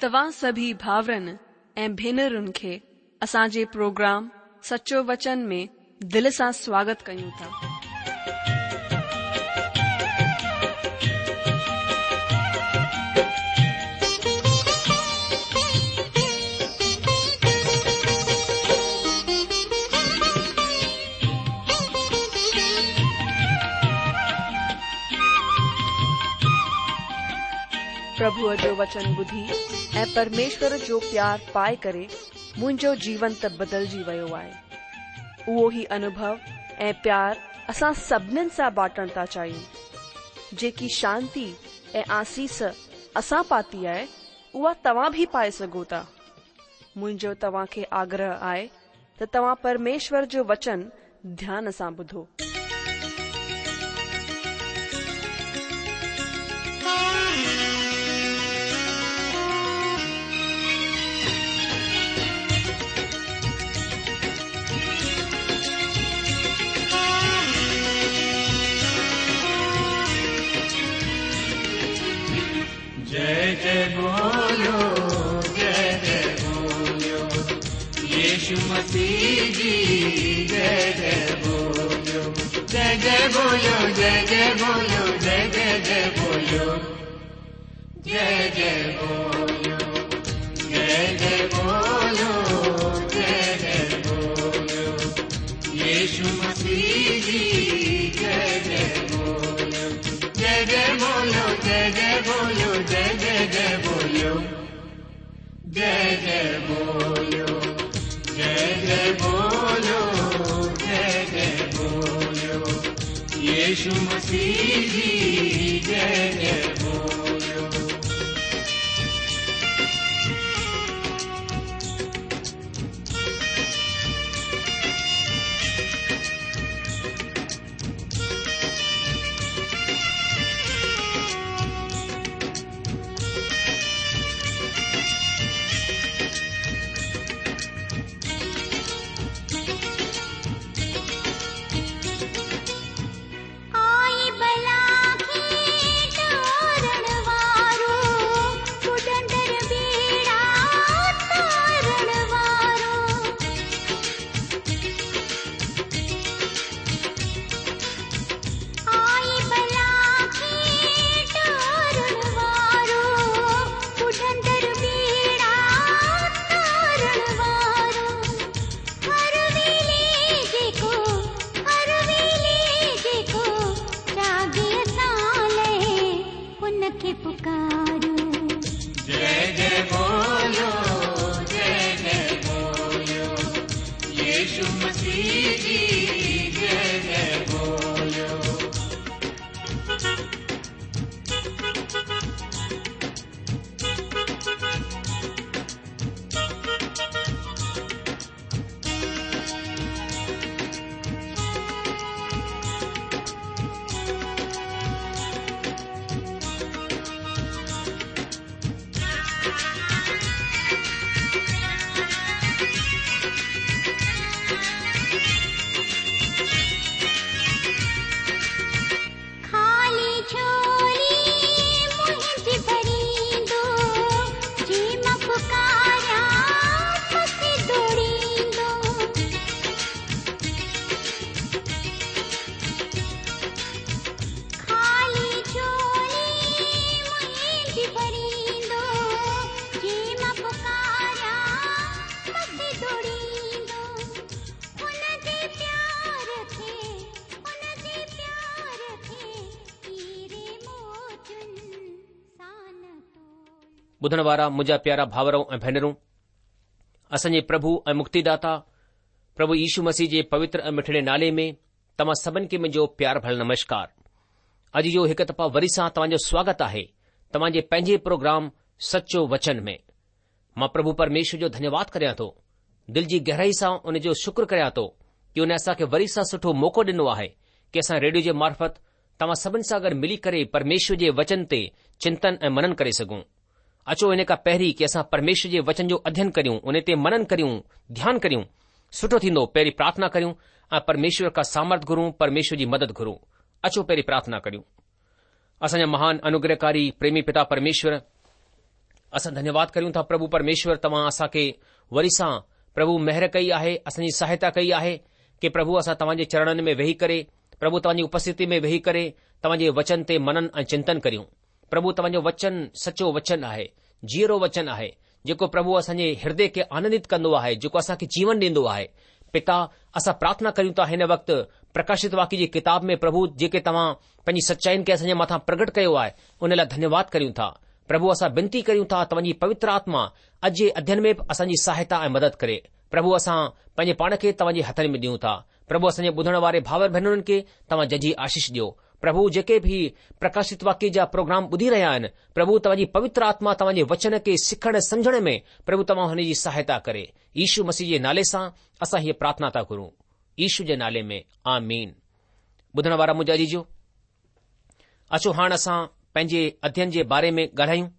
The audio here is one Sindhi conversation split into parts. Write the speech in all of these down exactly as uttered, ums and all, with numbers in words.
توهان سڀئي ڀائرن ۽ ڀينرن کي اسان جي پروگرام سچو وچن ۾ دل سان سواگت ڪيون ٿا. پرڀوءَ جو وچن ٻڌي ۽ پرميشور جو پيار پائي ڪري منهنجو جيون ته بدلجي ويو آهي. اهو ئي انوڀو ۽ پيار اسان سڀنين سان بانٽڻ ٿا چاهيون. جيڪي شانتي ۽ آسيس اسان پاتي آهي، اها توهان به پائي سگهو ٿا. منهنجو توهان کي آگرهه آهي ته توهان پرميشور جو وچن ڌيان سان ٻڌو. जय जय बोलो जय जय बोलो यीशु मसीह जी जय जय बोलो जय जय बोलो जय जय बोलो जय जय जय बोलो जय जय बोलो जय जय बोलो जय जय बोलो यीशु मसीह जी जय जय बोलो जय जय बोलो जय जय बोलो जय जय जय बोलो जय जय बोलो जय जय बोलो जय जय बोलो यीशु मसीह जी जय जय बोलो। आई बला खे तारण वारो पुटंदर बेड़ा तारण वारो। आई बला खे तारण वारो पुटंदर बेड़ा तारण वारो। हर वेले जेको हर वेले जेको जागे असां लए उनखे पुकारो। जय जय बोलो जय जय बोलो यीशु मसीह जी जय जय बोलो। खाली झोली मुंहिंजी भरींदो, जी मां पुकारियां मथे दौड़ींदो। खाली झोली मुंहिंजी भरींदो, जी मां पुकारियां मथे दौड़ींदो। हुन जे प्यार खे हुन जे प्यार खे हीरे मोतियुनि सां न तोल। ॿुधण वारा मुंहिंजा प्यारा भाउरो ऐं भेनरूं, असांजे प्रभु ऐं मुक्तिदाता प्रभु यीशु मसीह जे पवित्र ऐं मिठड़े नाले में तव्हां सभिनि खे मुंहिंजो प्यार भरियल नमस्कार। अॼु जो हिकु दफ़ा वरी सां तव्हांजो स्वागत आहे तव्हांजे पंहिंजे प्रोग्राम सचो वचन में। मां प्रभु परमेश्वर जो धन्यवाद करियां थो, दिलि जी गहराई सां उन जो शुक्र करियां थो की उन असांखे वरी सां सुठो मौक़ो ॾिनो आहे की असां रेडियो जे मार्फ़त तव्हां सभिनि सां गॾु मिली करे परमेश्वर जे वचन ते चिंतन ऐं मनन करे सघूं। अचो इन खां पहिरीं की असां परमेश्वर जे वचन जो अध्ययन करियूं, उन ते मनन करियूं, ध्यान करियूं, सुठो थींदो पहिरीं प्रार्थना करियूं ऐं परमेश्वर खां सामर्थ घुरूं, परमेश्वर जी मदद घुरूं। अचो पहिरीं प्रार्थना करियूं। असांजा महान अनुग्रहकारी प्रेमी पिता परमेश्वर, اسان ڌنيواد ڪريون ٿا پرڀو پرميشور توهان اسان کي وري سان پرڀو مهر ڪئي آهي، اسان جي سهائتا ڪئي آهي ڪي پرڀو اسان توهان جي چرڻن ۾ ويهي ڪري پرڀو توهان جي اپسٿتي ۾ ويهي ڪري توهان جي وچن تي منن ۽ چنتن ڪريون. پرڀو توهان جو وچن سچو وچن آهي، جيئرو وچن آهي، جيڪو پرڀو اسان جي هردي کي آنندت ڪندو آهي، جيڪو اسان کي جيون ڏيندو آهي. پتا، اسان پرارٿنا ڪريون ٿا هن وقت پرڪاشت واڪيه جي ڪتاب ۾ پرڀو جيڪي توهان پنهنجي سچائين کي اسان جي مٿان پرگٽ ڪيو آهي، ان لاء ڌنيواد ڪريون ٿا. پرڀو اسان بنتي ڪريون ٿا توهان جي پوتر آتما اڄ جي اڌين ۾ به اسان جي سهائتا ۽ مدد ڪري. پرڀو اسان پنهنجي پاڻ کي توهان جي هٿن ۾ ڏيون ٿا. پرڀو اسان جي ٻڌڻ واري ڀاور ڀينرن کي توهان ججهي آشيش ڏيو. پرڀو جيڪي به پرڪاشت واڪيه جا پروگرام ٻڌي رهيا آهن، پرڀو توهان جي پوتر آتما توهان جي وچن کي سکڻ سمجهڻ ۾ پرڀو توهان هن جي سهائتا ڪري. يشو مسيح جي نالي سان اسان هيء پرارٿنا ٿا گهرون. يشو جي نالي ۾ آمين. ٻڌڻ وارا منهنجا عزيزو، اچو هاڻ اسان پنهنجي اڌين جي باري ۾ ڳالهايون.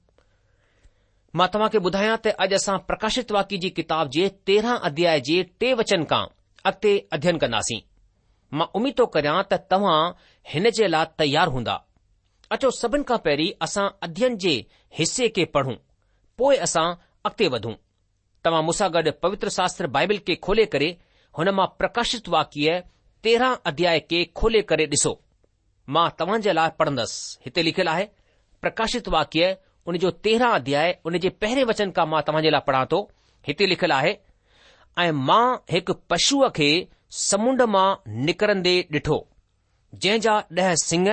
مان توهان کي ٻڌايان ته اڄ اسان پرڪاشت واڪيه جي ڪتاب جي تيرهن اڌياء جي ٽي وچن کان اڳتي اڌين ڪنداسين. مان اميد ٿو ڪريان ته توهان هن جي لاء تيار هوندا. اچو سڀن کان پهرين اسان اڌين جي حصي کي پڙهون، پوء اسان اڳتي وڌون. توهان مون سان گڏ پوتر شاستر بائبل کي کولي ڪري هن مان پرڪاشت واڪيه تيرهن اڌياء کي کولي ڪري ڏسو. مان توهان جي لاء پڙهندس. هتي لکيل آهي، پرڪاشت واڪيه ان جو تيرهن اڌياء ان جي پهرين وچن کان مان توهان جي لاء پڙهان ٿو. هتي لکيل آهي، ۽ مان هڪ پشوء کي سمنڊ مان نڪرندي ڏٺو، جنهن جا ڏهه سڱ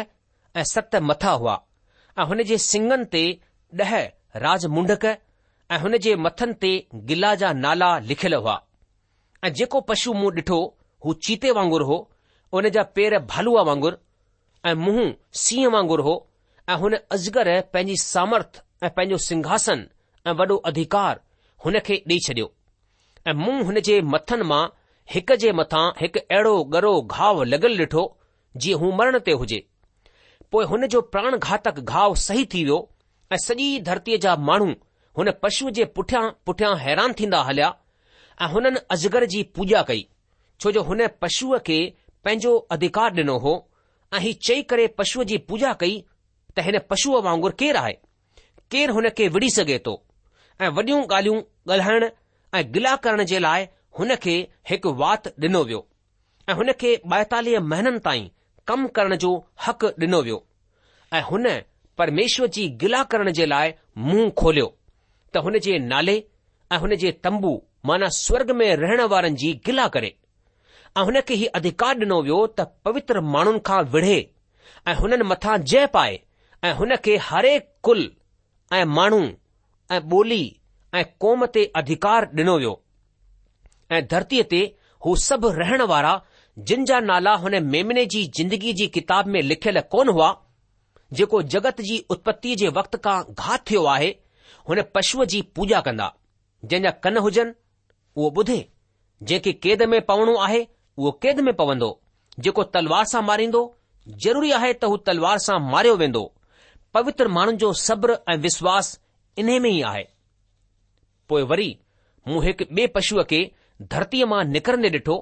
۽ ست مٿا هئا، ۽ هن جي سڱن تي ڏهه راج منڊڪ ۽ هن جي مٿن تي گلا جا نالا لکيل هئا. ۽ جيڪو پشو مون ڏٺو هو چيتي وانگر هو، ان جا پير ڀالوء وانگر ۽ منهن سينهن وانگر هو، ۽ هن اجگر پنهنجي سامرٿ ۽ پنهنجو سنگهاسن ۽ وڏو اڌڪار هن کي ڏيئي ڇڏيو. ۽ مون هن جي مٿن مان هڪ جي مٿان هڪ اهڙو ڳرو گهاء لڳل ڏٺو جيئن هو مرڻ تي هجي. پوء هن جو پراڻ گهاتڪ گهاء صحيح ٿي ويو ۽ سڄي ڌرتيء جا ماڻهو هن پشوء جي پٺيان پٺيان حيران ٿيندا هليا ۽ هنن اجگر جي پوڄا ڪئي، ڇو جو هن پشوء کي پنهنجو اڌڪار ڏنو هو ۽ هي چئي ڪري پشوء جي پوڄا ڪئي ته هن پشوء وانگر ڪير آهي؟ ڪير هن کي وڙهي سگهي ٿو؟ ۽ وڏيون ڳالهيون ڳالهائڻ ۽ گلا ڪرڻ جي لاء هن کي هڪ وات ڏنو ويو ۽ هن کي ٻائيتاليهه مهينن تائين ڪم ڪرڻ جو حق ڏنو ويو ۽ هن پرميشور جي گلا ڪرڻ جي لاء منهن کوليو ته هن جي نالي ۽ هن جي تنبو معنيٰ سورڳ ۾ رهڻ وارن جي گلا ڪري ۽ هن کي هي اڌڪار ڏنو ويو ته پوتر ماڻهن کان وڙهي ۽ هنن مٿان جئه پائي ۽ هن کي هرهڪ ڪل ۽ ماڻهو ۽ ٻولي ۽ قوم تي اڌڪار ڏنو ويو ۽ ڌرتيء تي هو سڀ رهڻ وارا جن جا نالا هن ميمني جي زندگيء جي ڪتاب ۾ لکيل ڪونه هئا، جيڪو جڳت جي اتپتيء جي وقت کان گهات ٿيو آهي، هن پشوء جي پوڄا ڪندا. جنهن جا ڪن هجن، اهو ٻڌي. جنهن کي قيد ۾ پوڻو آهي، اهو قيد ۾ پوندو. جيڪو تلوار سان ماريندو، ضروري آهي ته هو تلوار سان ماريو ويندو. پوتر ماڻهن جو صبر ۽ وشواس انهي ۾ ئي آهي. پوء وري مون هڪ ٻئي پشوء کي ڌرتيء مان نڪرندي ڏٺو.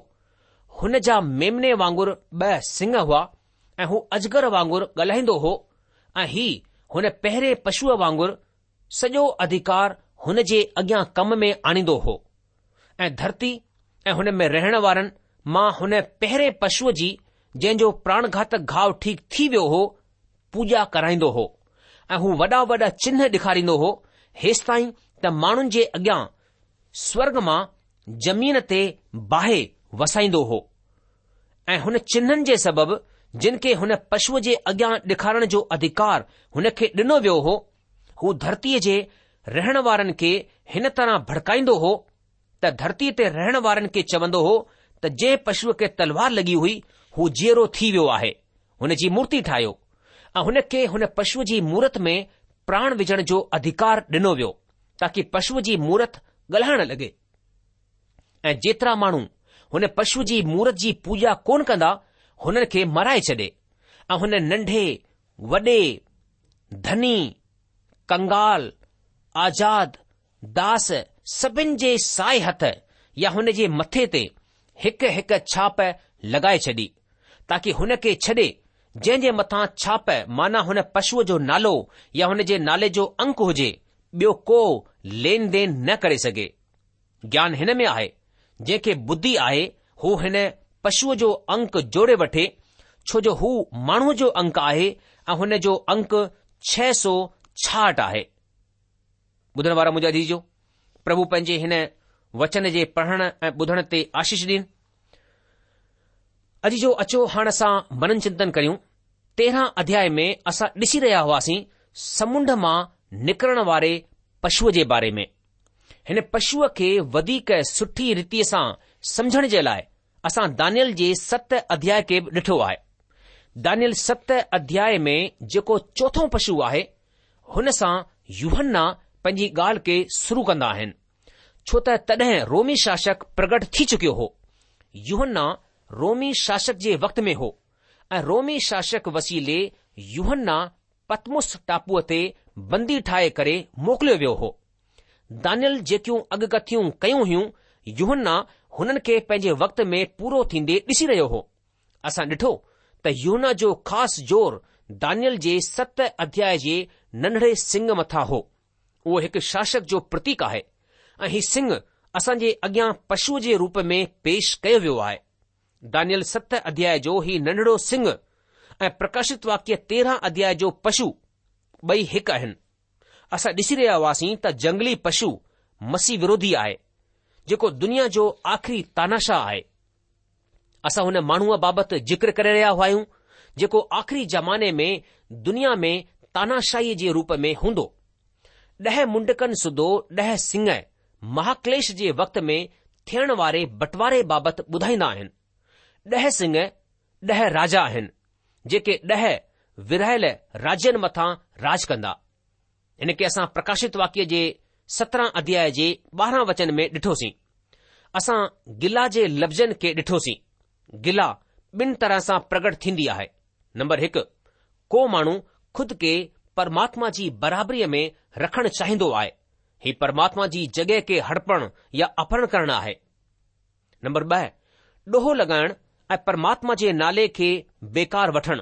هن جا ميمني وانگر ٻه سڱ هئا ۽ هو اجگر وانگر ڳالهائيندو هو ۽ هي هن پهرين پشوء وانگر سڄو اڌڪار هن جي اڳيان ڪم ۾ آڻيندو هو ۽ ڌرتي ۽ هن ۾ رهڻ وارن مان هن پهرين پشوء جي جنهن جو پراڻگهاتڪ گهاء ٺيڪ ٿي ويو هو پوڄا ڪرائيندو هو ۽ هو وڏا وڏا چنهه ڏيکاريندو هو هيستائين ته ماڻهن جي اڳيان سورڳ مان زمين تي باهه وسائيندو هو ۽ هن چنهن جي سبب جن کي هن پشوء جي اڳيان ڏيکارڻ جو اڌڪار هن کي ڏنو ويو هو، هو ڌرتيء جي رهڻ وارن کي هن طرح ڀڙڪائيندو هو ته ڌرتيء تي رهڻ وارن کي چوندو هو ته جنهن پشوء کي تلوار لڳي هئي، هو جيئرو ٿي ويو آهي، هن جي مورتي ٺاهيو ۽ هن کي هن پشوء جي مورت ۾ پراڻ وجهڻ جو اڌڪار ڏنو ويو، تاڪي پشوء جي مورت ڳالهائڻ لڳي. ۽ جيترا ماڻهو هن پشوء جي مورت جي پوڄا ڪونه ڪندا، هنن کي مارائي ڇڏي ۽ هن ننڍي، وڏي، ڌني، ڪنگال، آزاد، داس سڀن جي سائي هٿ يا هن جي مٿي تي هڪ هڪ ڇاپ لڳائي ڇڏي، تاڪي هن کي ڇڏي جنهن جي مٿان ڇاپ معنيٰ هن پشوء جو نالو يا هن جي نالي جو انڪ هجي، ٻيو ڪو لين دين نه ڪري سگهي. گيان هن ۾ آهي، جنهن کي ٻڌي آهي هو هن پشوء جو انڪ جوڙي وٺي، ڇو جو هو ماڻهوء جو انڪ آهي ۽ هن جو انڪ ڇهه سؤ ڇاهٺ آهي. ٻڌڻ وارا منهنجا عزيزو، پرڀو پنهنجي هن وچن جي پڙهڻ ۽ ٻڌڻ تي آشيش ڏين. عزيزو اچو هاڻ اسان منن چنتن ڪريون. تيرهن اڌياء ۾ اسان ڏسي رهيا هئاسين سمنڊ مان نڪرڻ واري پشوء جي باري ۾. هن پشوء کي وڌيڪ سٺي ريتيء سان سمجهڻ جي لاء اسان دانيل جي ست اڌياء کي به ڏٺو آهي. دانيل ست اڌياء ۾ جيڪو چوٿون پشو آهي، هن سان يوحنا پنهنجي ڳالهه کي شروع ڪندا آهن، ڇو ته تڏهن رومي شاسڪ پرگٽ ٿي چڪيو هو. يوحنا رومي شاسڪ جي وقت ۾ هو ۽ رومي شاسڪ وسيلي يوحنا پتمس ٽاپوء تي بندي ٺاهي ڪري موڪليو ويو هو. دانيل جيڪيون اڳڪٿيون ڪيون هيون، يوحنا هنن کي پنهنجي وقت ۾ پورو ٿيندي ڏسي رهيو هو. اسان ڏٺو ته يوحنا جو خاص زور دانيل جي ست اڌياء جي ننڍڙي سڱ مٿان هو. اهو هڪ شاسڪ جو پرتيڪ آهي ۽ هي سڱ اسان جي اڳيان پشوء جي روپ ۾ پيش ڪيو ويو آهي. دانيل ست اڌياء جو هي ننڍڙو سڱ ۽ پرڪاشت واڪيه تيرهن اڌياء جو پشو ٻئي هڪ آهن. اسان ڏسي رهيا هئاسين ته جنگلي پشو مسيح وروڌي آهي، جيڪو دنيا جو آخري تاناشاهه آهي. اسان هن ماڻهوء بابت ذڪر ڪري رهيا هئايون جيڪو آخري زماني ۾ دنيا ۾ تاناشاهيء جي روپ ۾ هوندو. ڏهه منڊڪن سوڌو ڏهه سڱ مهاڪليش جي وقت ۾ ٿيڻ واري بٽواري بابت ٻڌائيندا آهن. ڏهه سڱ ڏهه راجا آهن، جيڪي ڏهه ورهايل راجين مٿان راڄ ڪندا. هن کي اسان پرڪاشت واڪيه جي سترهن اڌياء جي ٻارهن وچن ۾ ڏٺوسين. اسان گلا جي لفظن کي ڏٺوسين. گلا ٻن طرح سان پرگٽ ٿيندي آهي. نمبر هڪ، ڪو ماڻهو خود کي پرماتما جي برابريء ۾ رکڻ چاهيندو آهي. هي پرماتما جي جڳهه کي هڙپڻ يا اپهرڻ ڪرڻ آهي. نمبر ٻه، ڏوهه لڳائڻ ۽ پرماتما جي نالي کي بيڪار وٺڻ.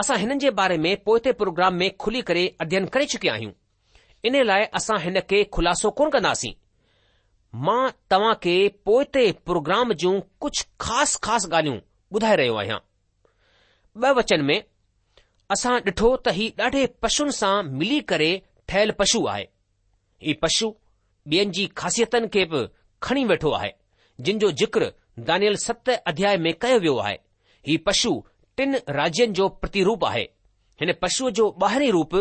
اسان هنن جي باري ۾ پوئتي پروگرام ۾ کلي ڪري اڌين ڪري چڪيا آهيون. ان لاء اسان هن کي خلاصو ڪونه ڪنداسين. مان توهان کي پوئتي پروگرام جون ڪجهه خاص خاص ڳالهيون ٻڌائي رهيو آهيان. ٻه وچن ۾ اسان ڏٺو ته هي ڏاڍي پشن سان ملي ڪري ٺهيل پشو آهي. هي پشو ٻين جي خاصيتن کي به کڻي ويٺو آهي، جن جو ذڪر دانيل ست اڌياء ۾ ڪيو ويو آهي. هي پشو ٽن راجين جو پرتيروپ آهي. هن پشوء جو ٻاهرين روپ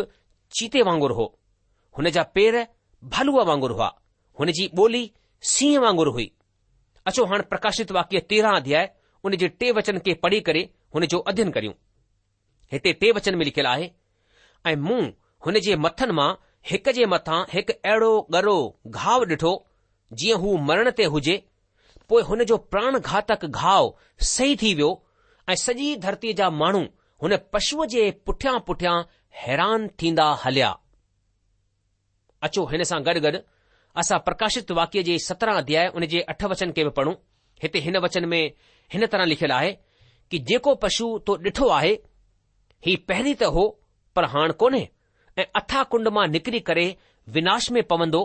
چيتي وانگر هو. هن جا پير ڀالوء وانگر هئا. هن جي ٻولي سينهن وانگر هئي. اچو هاڻ پرڪاشت واڪيه تيرهن اڌياء ان جي ٽي وچن کي پڙهي ڪري هن جو اڌين ڪريون. هتي ٽي وچن ۾ لکيل آهي، ۽ مون هن جي مٿن مان هڪ جي مٿان هڪ اهڙو ڳرو گهاء ڏٺو، جيئن هو مرڻ تي هجي، پوء هن جو پراڻ گهاتڪ گهاء صحيح ٿي ويو ۽ سڄي ڌرتيء جا ماڻهو هن پشوء جي پٺيان پٺيان حيران ٿيندا هليا. اچو هن سان گڏ گڏ اسان پرڪاشت واڪيه جي سترهن اڌياء ان جي اٺ وچن کي به پڙهون. هتي هن وچن ۾ هن طرح لکيل آهي ڪي جيڪو پشو تو ڏٺو آهي، هي پهرين ته هو پر هاڻ ڪونهي ۽ اٿاهه ڪنڊ مان نڪري ڪري وناش ۾ پوندو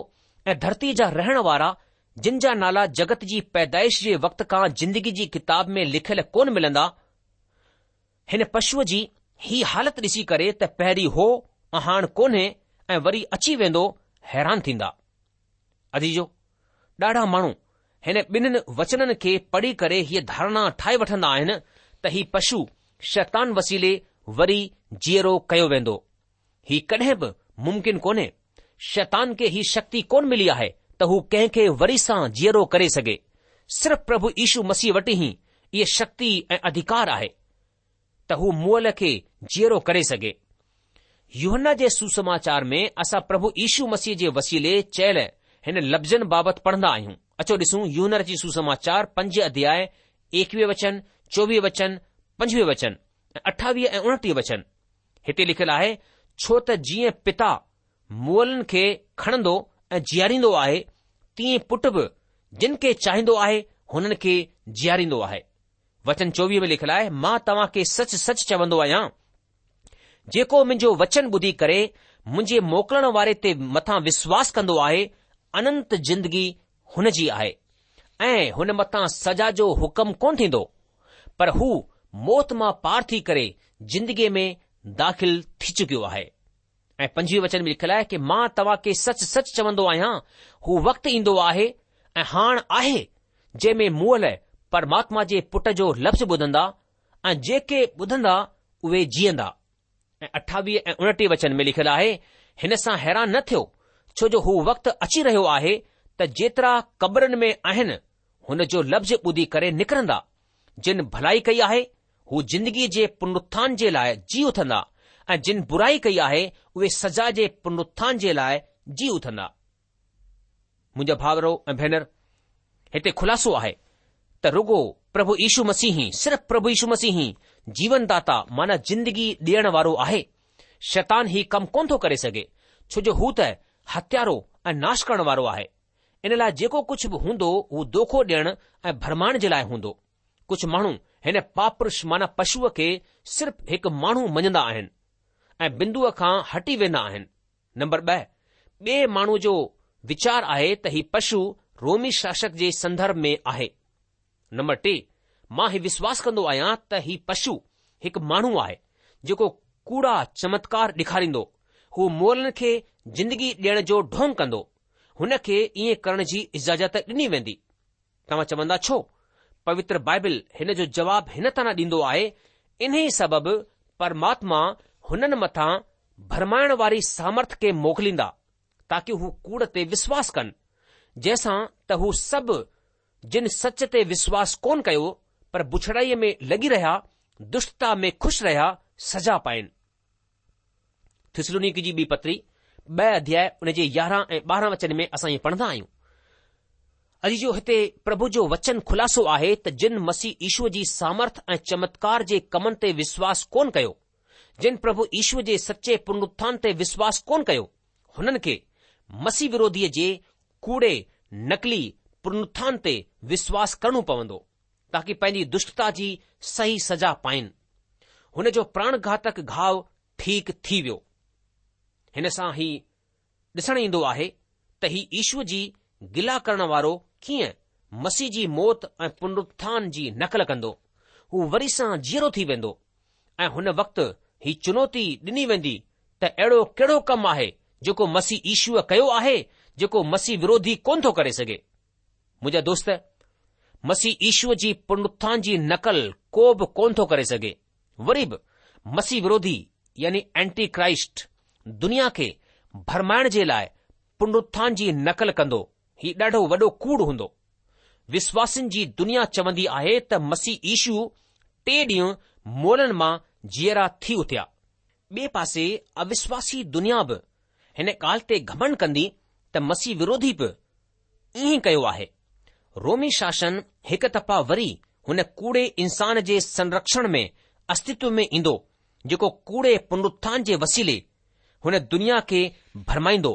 ۽ ڌرتيء جا رهڻ وارا جن جا نالا جڳت جي پيدائش جي وقت کان زندگي جي ڪتاب ۾ لکيل ڪونه ملندا، هن پشوء جي هي حالت ڏسي ڪري ته پهرين هو ۽ هاڻ ڪونهي ۽ وري اچي ويندو، حيران ٿيندا. عزيزو! ڏاڍا ماڻهو هن ٻنهين وچنن کي پڙهي ڪري هيء ڌارڻا ٺاهي وٺندا آهن ته هي پشو شيطان وسيلي وري جيئرو ڪيو ويندو. هي ڪڏهن به ممڪن ڪونهي. شيطان کي هي شڪتي ڪونه ملي آهي ته هو ڪنهن کي وري سان جيئرو ڪري سگهي. صرف پرڀو يشو مسيح وٽ ئي اهي شڪتي ۽ اڌڪار آهي ته هو مئل کي جيئرو ڪري سگهي. يوحنا جي سوسماچار ۾ اسان پرڀو يشو مسيح جي وسيلي چيل هن لفظن بابت پڙهندا آهيون. اچو ڏسون يوحنا رچت سوسماچار پنج اڌياء ايڪويهه وچن، چوويهه وچن، پنجويهه وچن ۽ اٺاويهه ۽ اڻٽيهه وچن. هتي لکيل آهي، ڇو ته جيئن پتا مئلن کي کڻندو ۽ جياريندو آهي، تيئن پٽ به جن کي چاهيندو آهي هنن کي جياريندو آهي. وچن چوويهه ۾ لکيل آهي، مان توهان کي سچ سچ چوندو آهيان، جيڪو منهنجو وچن ٻڌي ڪري منهنجي موڪلڻ واري تي مٿان وشواس ڪندو آهي، اننت زندگي هن جي آهي ۽ هن مٿان سزا جو حڪم ڪونه ٿيندو، پر هو موت مان پار ٿي ڪري زندگيء ۾ داخل ٿي چڪيو آهي. ۽ پنجويهه وچن ۾ لکيل آهي ڪي مان توهان کي سچ سچ چوندو آهيان، هو وقت ايندو آهي ۽ هاڻ آهي، جنهن ۾ مئل پرماتما جي پٽ جو لفظ ٻڌندا ۽ جيڪي ٻڌندا اهي جيئندا. ۽ اٺاويهه ۽ اڻٽيهه وچن ۾ لکيل آهي، هن سان حيران نه ٿيو، ڇو جو هو وقت اچي رهيو آهي ته جيترا قبرن ۾ آهن، هن جو لفظ ٻڌي ڪري نڪرندا. جن ڀلائي ڪئي آهي، هو زندگيء جي پنرٿان جي لاء جي اٿندا ۽ جن برائي ڪئي آهي، اهي سزا جي پنرٿان جي لاء جي اٿندا. منهنجا ڀائرو ۽ ڀينر، هتي خلاصو آهي ته رڳو پرڀو يشو مسيح ئي، صرف پرڀو يشو مسيح ئي جيون داتا معنيٰ زندگي ڏيڻ وارو آهي. شيطان هي ڪم ڪونه ٿو ڪري سگهي، ڇو جو هو ته هتيارو ۽ ناش ڪرڻ وارو آهي. ان لاء جيڪو ڪجهه به هوندو هو دوکو ڏيڻ ۽ ڀرمائڻ جي لاء هوندو. ڪجهه ماڻهو هن پاپ پرش معنيٰ پشوء کي صرف هڪ ماڻهو مڃندا آهن ۽ بندوء کان هٽي ويندا آهن. نمبر ٻه، ٻئي ماڻهوء جو ويچار آهي ته هي پشو رومي شاسڪ جي سندرڀ ۾ آهي. نمبر ٽي، مان هي وشواس ڪندو آهيان ته هي پشو هڪ ماڻهو آهي جيڪو ڪوڙا چمتڪار ڏيکاريندو، هو مئلن کي زندگي ڏيڻ جو ڍونگ ڪندو، هن کي ائين ڪرڻ جي اجازت ڏني ويندي. توهان چوندا ڇو؟ پوتر بائبل هن جو جواب هن طرح ڏيندو آهي، انهي سبب پرماتما هنن مٿان ڀرمائڻ واري سامرٿ کي موڪليندا، تاڪي هو ڪوڙ تي وشواس ڪن، جنهن سان ته هو سڀ جن سچ تي وشواس ڪونه ڪيو، پر بڇڙائيء ۾ لڳي رهيا، دشٽتا ۾ خوش رهيا، سزا پائين. ٿسلونيڪي جي ٻي پتري، ٻه اڌياء ان جي يارهن ۽ ٻارهن وچن ۾ اسان ائين پڙهندا آهيون. عزيزو هتي پرڀو جو وچن خلاصو آهي ته جن مسيح يشوء جي سامرٿ ۽ چمتڪار جي ڪمن تي وشواس ڪونه ڪيو، جن پرڀو يشوء جي سچي پنرٿان تي وشواس ڪونه ڪيو، هنن کي مسيح وروڌيء جي ڪوڙي نقلي پنرٿان تي وشواس ڪرڻو پوندو، تاڪي پنهنجي دشٽتا جي صحيح سزا پائين. هن جو پراڻگهاتڪ گهاء ٺيڪ ٿي ويو. هن سان هي ڏسڻ ايندو آهي ته هي يشوء جي گلا ڪرڻ وارو ڪيئن مسيح جي موت ۽ پنرٿان جي نقل ڪندو. هو وري سان جيئرو ٿي ويندو ۽ هن وقت هي چنوتي ڏني ويندي ته اهڙو ڪهڙو ڪم آهي جيڪو مسيح يشوء ڪيو آهي جيڪو مسيح وروڌي ڪونه ٿو ڪري سگهي. منهنجا دوست، مسيح يشوء جي پنرٿان جي نقل ڪو به ڪونه ٿو ڪري سگهي. وري به مسيح وروڌي يعني اينٽي ڪرائسٽ دنيا کي ڀرمائڻ جي لاء پنرٿان جي نقل ڪندو، هي ڏاڍو وڏو ڪوڙ هوندو. وشواسين جي دنيا چوندي آهي ته مسيح يشو ٽي ڏينهن مئلن مان جيئرا ٿي اٿيا. ٻئي پاسي اوشواسي دنيا به هن ڳالهه تي گهمنڊ ڪندي ته مسيح وروڌي به ائين ڪيو آهي. رومي شاسن هڪ دفعا وري هن ڪوڙي انسان جي سنرڪشڻ ۾ استتو ۾ ايندو جيڪو ڪوڙي پنرٿان جي وسيلي هن دنيا کي ڀرمائيندو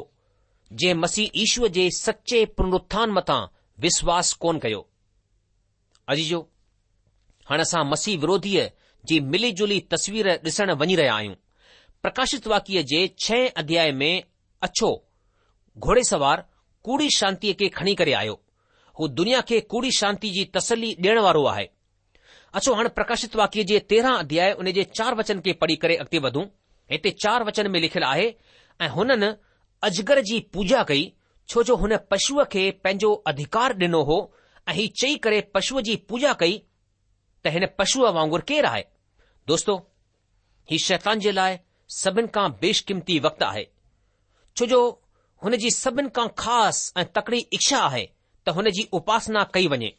جنهن مسيح يشوء جي سچي پنرٿان مٿان وشواس ڪونه ڪيو. عزيزو، هاڻ اسان مسيح وروڌيء جي ملي جلي تصوير ڏسڻ وڃي رهيا آهيون. پرڪاشت واڪيه جي ڇهين اڌياء ۾ اڇو گهوڙيسوار ڪوڙي شانتيء کي کڻي ڪري آيو. هو دنيا کي ڪوڙي شانتي جي تسلي ڏيڻ وارو آهي. اچو هاڻ پرڪاشت واڪيه جي تيرهن اڌياء ان جي چار وچن کي پڙهي ڪري اڳتي وڌون. هتي چار وچن ۾ لکيل آهي، ۽ هنن اجگر جي پوڄا ڪئي، ڇو جو هن پشوء کي پنهنجو اڌڪار ڏنو هو ۽ هي چئي ڪري پشوء جي پوڄا ڪئي ته هن پشوء وانگر ڪير آهي؟ دوستو! هي شيطان جي لاء سڀن کان بيشقيمتي وقت آهي، ڇو جو هن جي سڀن کان خاص ۽ تڪڙي اڇا آهي ته هن جي اپاسنا ڪئي وڃي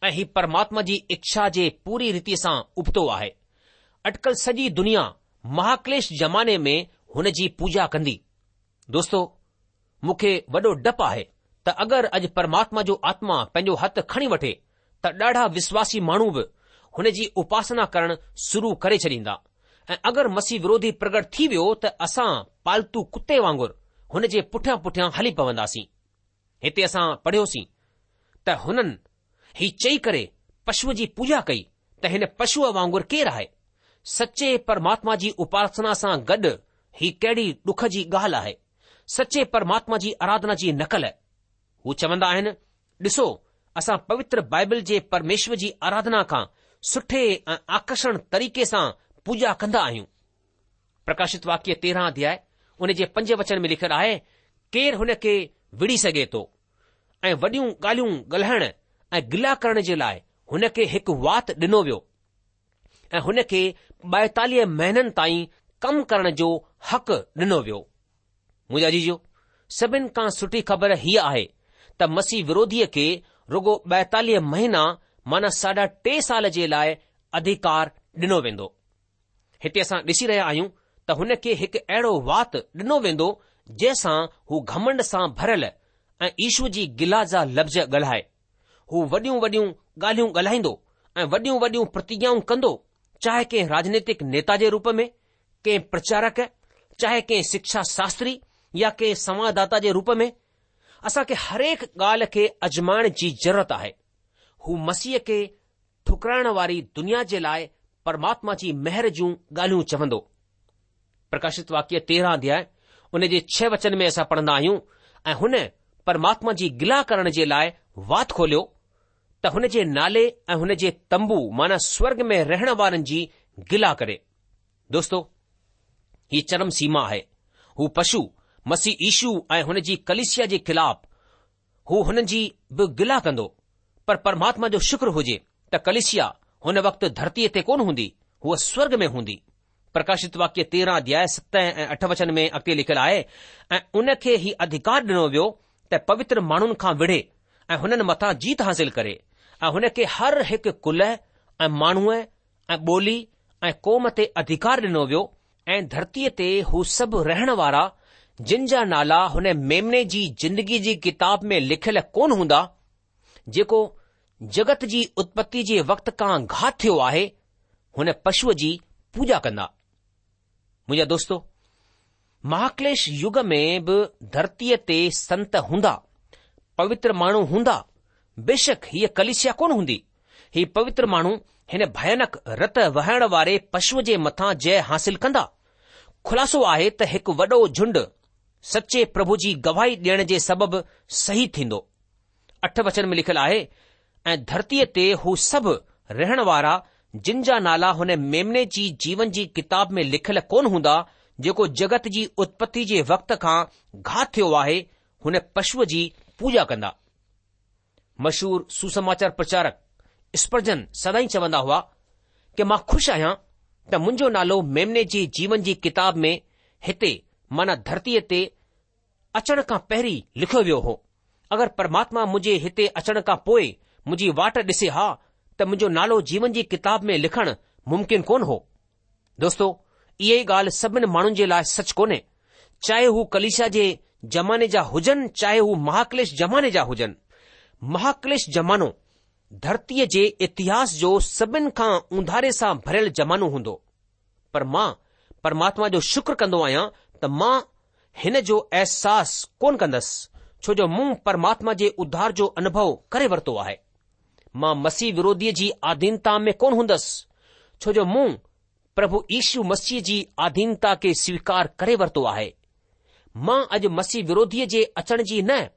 ۽ هي پرماتما جي اڇا جي پوري ريتي سان ابتو آهي. اٽڪل سڄي دنيا مهاڪليش زماني ۾ هن جي پوڄا ڪندي. دوستو! مون کي وڏو ڊپ آهي ته اگر اڄ پرماتما جو آتما پنهنجو هٿ کڻي وٺي ته ڏاڍا وشواسي ماڻهو به هن جي اپاسنا ڪرڻ شروع ڪري ڇڏيندا ۽ اگر مسيح وروڌي پرگٽ ٿي ويو ته اسان پالتو ڪتي وانگر هن جي پٺيان پٺيان هلي پونداسين. هتي اسان پڙهيوسين ته هنن هي چئي ڪري پشوء جي پوڄا ڪئي ته هن پشوء وانگر ڪير آهي؟ سچي پرماتما جي اپاسنا سان گڏ هي ڪهڙي ڏک جي ڳالهه آهي. سچي پرماتما جي آراڌنا جي نقل. هو چوندا آهن، ڏسو اسان پوتر بائبل جي پرميشور جي آراڌنا کان سٺي ۽ آڪرشڻ طريقي سان پوڄا ڪندا آهيون. پرڪاشت واڪيه تيرهن اڌياء ان جي پنج وچن ۾ لکيل آهي، ڪير هن کي وڙهي سگهي ٿو ۽ وڏيون ڳالهيون ڳالهائڻ ۽ گلا ڪرڻ جي لاء هن کي هڪ وات ڏنو ويو ۽ هن کي ٻائيتاليهه مهينن تائين ڪم ڪرڻ جو حق ڏنو ويو. منهنجا عزيزو، سڀن کان سٺي خبر هيء آهي ته مسيح وروڌيء کي رڳو ٻائيتاليهه مهينا معنيٰ ساڍا ٽي سال جي لاء اڌيڪار ڏنو ويندو. هتي اسان ڏسي رهيا آهيون ته هن کي هڪ اهڙو وات ڏنو ويندو جنهن سان هو گهمنڊ سان ڀريل ۽ يشو جي گلا جا لفظ ڳالهائي. هو وڏيون وڏيون ڳالهيون ڳالهائيندو ۽ وڏيون وڏيون پرتگيائون ڪندو، چاهي ڪنهن راجنيتڪ نيتا جي روپ ۾، ڪنهن پرچارڪ، چاهي ڪنهن شڪشا شاستري يا ڪنهن سنوادداتا جي روپ ۾. اسان کي هرهڪ ڳالهه کي ازمائڻ جي ضرورت آهي. هو مسيح کي ٺڪرائڻ واري دنيا جي لاء پرماتما جي مهر جون ڳالهيون چوندو. پرڪاشت واڪيه تيرهن اڌياء ان جي ڇهه وچن ۾ اسان پڙهندا آهيون ۽ هن پرماتما جي گلا ڪرڻ جي لاء وات کوليو ته هن جي نالي ۽ هن جي تنبو معنيٰ سورگ ۾ رهڻ وارن جي گلا ڪري. دوستو، هي چرم سيما آهي. هو پشو، مسيح يشو ۽ هن جي ڪليسيا جي خلاف هو هنن جي به گلا ڪندو. پر پرماتما جو شڪر هجي ته ڪليسيا هن وقت ڌرتيء تي ڪونه هوندي، هوء سورگ ۾ هوندي. پرڪاشت واڪيه تيرهن اڌياء ست ۽ اٺ وچن ۾ اڳتي لکيل آهي، ۽ ان کي هي اڌيڪار ڏنو ويو ته پوتر ماڻهن کان وڙهي ۽ هنن مٿان جيت حاصل ڪري، ۽ هن کي هر هڪ ڪل ۽ ماڻهوء ۽ ٻولي ۽ قوم تي اڌيڪار ڏنو ويو، ۽ ڌرتيء تي هو سڀ رهڻ وارا، جن جا نالا هن ميمني جي زندگيء جي ڪتاب ۾ لکيل ڪونه هوندا، جيڪو جڳت جي اتپتي جي وقت کان گهات ٿيو آهي، هن پشوء جي پوڄا ڪندا. منهنجا دوستو، مهاڪليش يگ ۾ به ڌرتيء تي سنت هوندا، پوتر ماڻهو هوندا، بيشڪ هيء ڪليسيا ڪونه هوندي. هي پوتر ماڻهو هن ڀيانڪ رت وهائڻ واري پشوء جي مٿان جئه حاصل ڪندا. خلاصو آهي ته هڪ وڏو جهنڊ سچي پرڀو جي گواهي ڏيڻ جي سبب شهيد ٿيندو. اٺ وچن ۾ لکيل آهي، ۽ ڌرتيء تي هو سڀ رهڻ وارا جن جا نالا هن ميمني جي جيون جي ڪتاب ۾ لکيل ڪونه هوندا، جيڪو جڳت جي اتپتي جي وقت کان گهات ٿيو آهي، هن پشوء جي پوڄا ڪندا. مشهور سوسماچار پرچارڪ اسپرجن سدائين چوندا هئا ڪه مان خوش آهيان ته منهنجو نالو ميمني جي جيون جي ڪتاب ۾ هتي معنيٰ ڌرتيء تي اچڻ کان پهرين لکيو ويو هو. اگر پرماتما منهنجي هتي اچڻ کان پوء منهنجي واٽ ڏسي ها ته منهنجو نالو جيون جي ڪتاب ۾ لکڻ ممڪن ڪونه هو. دوستو، اها ئي ڳالهه سڀن ماڻهن جي لاء سچ ڪونهي، چاهي هو ڪليسيا جي زماني جا هجن چاهي هو مهاڪليش زماني جا هجن. مهاڪليش زمانو ڌرتيء جي اتهاس جو سڀن کان اونڌاري سان ڀريل زمانو هوندو. پر مان پرماتما جو شڪر ڪندو آهيان ته مان هن جو احساس ڪونه ڪندس، ڇو جو مون پرماتما جي اڌار جو انوڀو ڪري ورتو آهي. مان مسيح وروڌيء جي آڌينتا ۾ ڪونه هوندس، ڇو جو مون پرڀو يشو مسيح جي آڌينتا کي سويڪار ڪري ورتو آهي. مان اڄ مسيح وروڌيء جي اچڻ جي نه،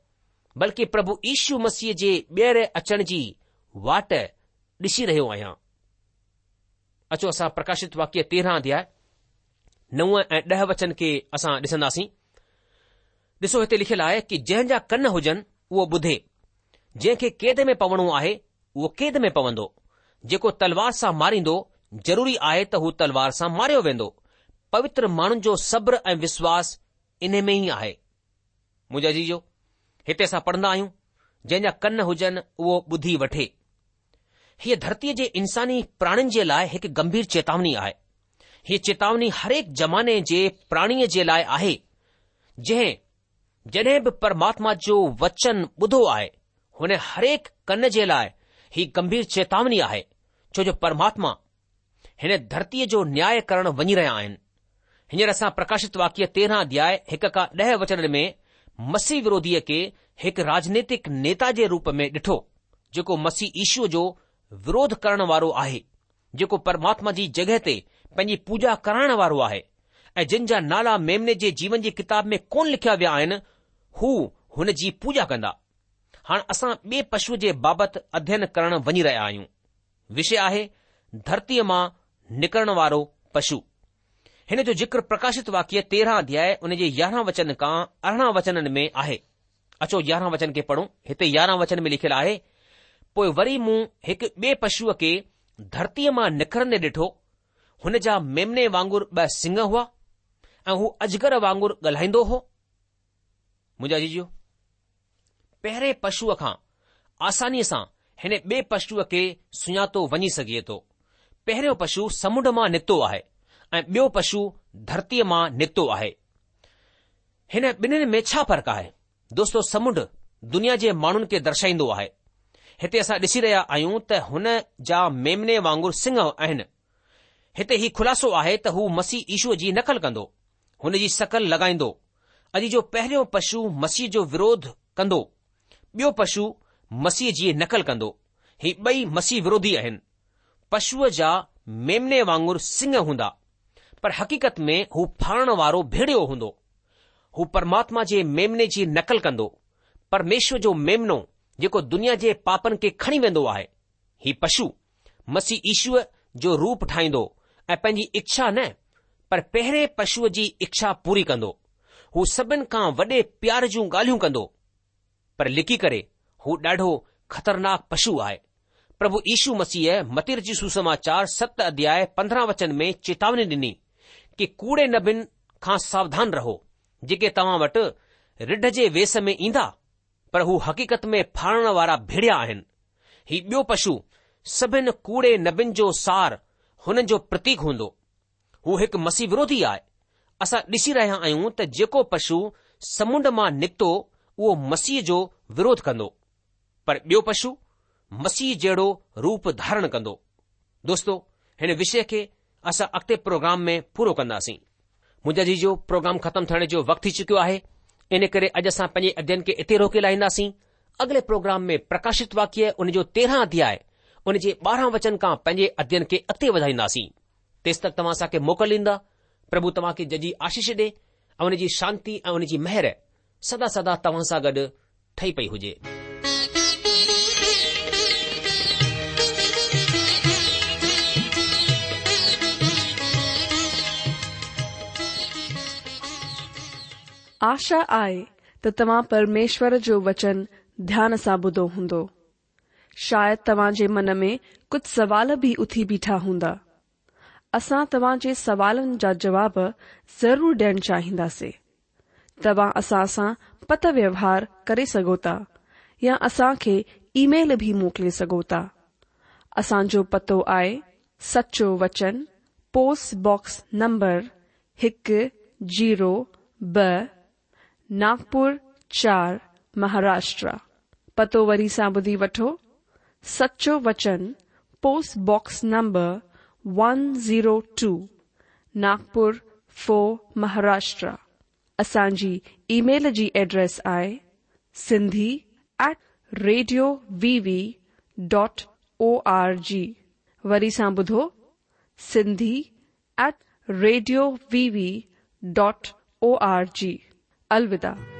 بلڪه پرڀو يشو مسيح جي ٻيهر اچڻ جي واٽ ڏسي رهيو آهيان. اچو اسان پرڪاشت واڪيه تيرهن اڌياء نو ۽ ڏهه وچن کي اسان ڏسنداسين. ڏسو هتي لکيل آهي ڪه جنهن جا ڪن هجن اهو ٻڌي. جنهن کي قيد ۾ پوڻو آهي اهو قيد ۾ پوندو. جيڪو تلوار سان ماريندو ضروري آهي ته هو تلوار سان ماريو ويندو. پوتر ماڻهن جو صبر ۽ وشواس انهي ۾ ئي آهي. منهنجا عزيزو، هتي اسان پڙهندا آهيون، جنهن جا ڪن هجن اهو ٻڌي وٺي. هيء ڌرتيء جي انساني پراڻين جي لاء هڪ گنڀير چيتاوني آهي. هيء چيتاوني هرهڪ زماني جي پراڻيء جي لاء آهي، جنهن جڏهن به پرماتما جو وچن ٻڌو آهي، هن هرهڪ ڪن جي لاء هي گنڀير چيتاوني آهي، ڇو جو پرماتما هن ڌرتيء جو نياء ڪرڻ وڃي رهيا آهن. هينئر اسان پرڪاشت واڪيه تيرهن اڌياء هڪ کان ڏهه وچنن ۾ مسيح وروڌيء کي هڪ راجنيتڪ نيتا جي روپ ۾ ڏٺو، جيڪو مسيح يشوء جو وروڌ ڪرڻ وارو آهي، جيڪو پرماتما جي جڳهه تي پنهنجي پوڄا ڪرائڻ وارو آهي ۽ جن جا نالا ميمني جي جيون جي ڪتاب ۾ ڪونه لکيا ويا آهن، هو هن جي پوڄا ڪندا. هاڻ اسان ٻئي پشوء جي بابت اڌين ڪرڻ وڃي رهيا آهيون. وشي آهي ڌرتيء مان نڪرڻ وارو پشو. هن جو ذڪر پرڪاشت واڪيه تيرهن اڌياء ان جي يارهن وچن کان ارڙهن وچنن ۾ آهي. اچو يارهن وچن کي پڙهون. هتي يارهن وچن ۾ لکيل آهي، پوء وري مون هڪ ٻئي پشوء کي ڌرتيء مان نڪرندي ڏٺو. هن جا ميمني وانگر ٻه سڱ هئا ۽ هو اجگر وانگر ڳالهائيندو هو. منهنجا عزيزو، پهرين پشوء کان آسانيء سان هن ٻئي پشوء کي سڃاتو وڃي سگهجي ٿو. پهريون پشو سمنڊ مان نڪتو آهي ۽ ٻيو پشو ڌرتيء مان نڪتو آهي. هن ٻنهين ۾ ڇا فرق آهي؟ دوستو، سمنڊ دنيا جي ماڻهن کي درشائيندو آهي. هتي اسان ڏسي رهيا آهيون ته هن جا ميمني وانگر سڱ آهن. هتي هي خلاصو آهي ته هو مسيح يشوء جي نقل ڪندو، هن جي شڪل لڳائيندو. اڄ جو پهريون پشو مسيح جو وروڌ ڪندو، ٻيو پشو مسيح جي نقل ڪندو. هي ٻئي مسيح وروڌي آهن. پشوء جا ميمني وانگر سڱ هوندا، پر حقيقت ۾ هو ڦاڙڻ وارو ڀيڙيو هوندو. هو پرماتما جي ميمني جي نقل ڪندو، پرميشور جو ميمنو جيڪو دنيا جي پاپن کي کڻي ويندو آهي. هي پشو مسيح يشوء جو روپ ٺاهيندو ۽ پنهنجي اڇا نه پر پهرين پشوء جي اڇا پوري ڪندو. هو سڀن کان وڏي پيار جون ڳالهيون ڪندو، پر لڪي ڪري هو ڏاڍو خطرناڪ پشو آهي. پرڀو يشو مسيح متي رچت سوسماچار ست اڌياء پندرهن وچن ۾ چيتاوني ڏني ڪي ڪوڙي نبين کان ساوڌان رهو، جيڪي توهان وٽ رڍ جي ويس ۾ ايندا، پر هو حقيقت ۾ ڦاڙڻ وارا ڀيڙيا آهن. هي ٻيو پشو سڀن ڪوڙي نبين جو سار هنن جو پرتيڪ هوندو. هو هڪ مسيح وروڌي آهي. اسان ڏسي رهيا آهيون ته جيڪو پشو سمنڊ مان نڪتو اهو مسيح جو وروڌ ڪندو، پر ٻيو پشو مسيح جهڙو روپ ڌارڻ ڪندو. دوستو، هن وشي کي اسان اڳتي پروگرام ۾ پورو ڪنداسين. منهنجا عزيزو، پروگرام ختم ٿيڻ جو وقت ٿي چڪيو آهي، ان ڪري اڄ اسان پنهنجي اڌين کي اتي روڪي لاهينداسين. اڳلي پروگرام ۾ پرڪاشت واڪيه ان جو تيرهن اڌياء ان جي ٻارهن وچن کان پنهنجي اڌين کي اڳتي وڌائينداسين. تيس تڪ توهان اسان کي موڪل ڏيندا. پرڀو توهان کي ججهي آشيش ڏي ۽ ان جي شانتي ۽ ان جي مهر سدا سدا توهان سان گڏ ٺهي پئي هجي. آشا آهي ته توهان پرميشور جو وچن ڌيان سان ٻڌو هوندو. شايد توهان جي من ۾ ڪجهه سوال به اٿي بيٺا هوندا. اسان توهان جي سوالن جا جواب ضرور ڏيڻ چاهينداسين. توهان اسان سان پتر ويوهار ڪري سگهو ٿا يا اسان کي اي ميل به موڪلي سگهو ٿا. اسان جو پتو آهي سچو وچن، پوسٽ باڪس نمبر هڪ زيرو ٻه، ناگپور چار، مهاراشٽر. پتو وري سان ٻڌي وٺو، سچو وچن، post box number one zero two, Nagpur four, Maharashtra. اسان جي اي ميل جي ايڊريس آهي Sindhi at radio V V dot O R G. وري سان ٻڌو، Sindhi at radio V V dot O R G. الوداع.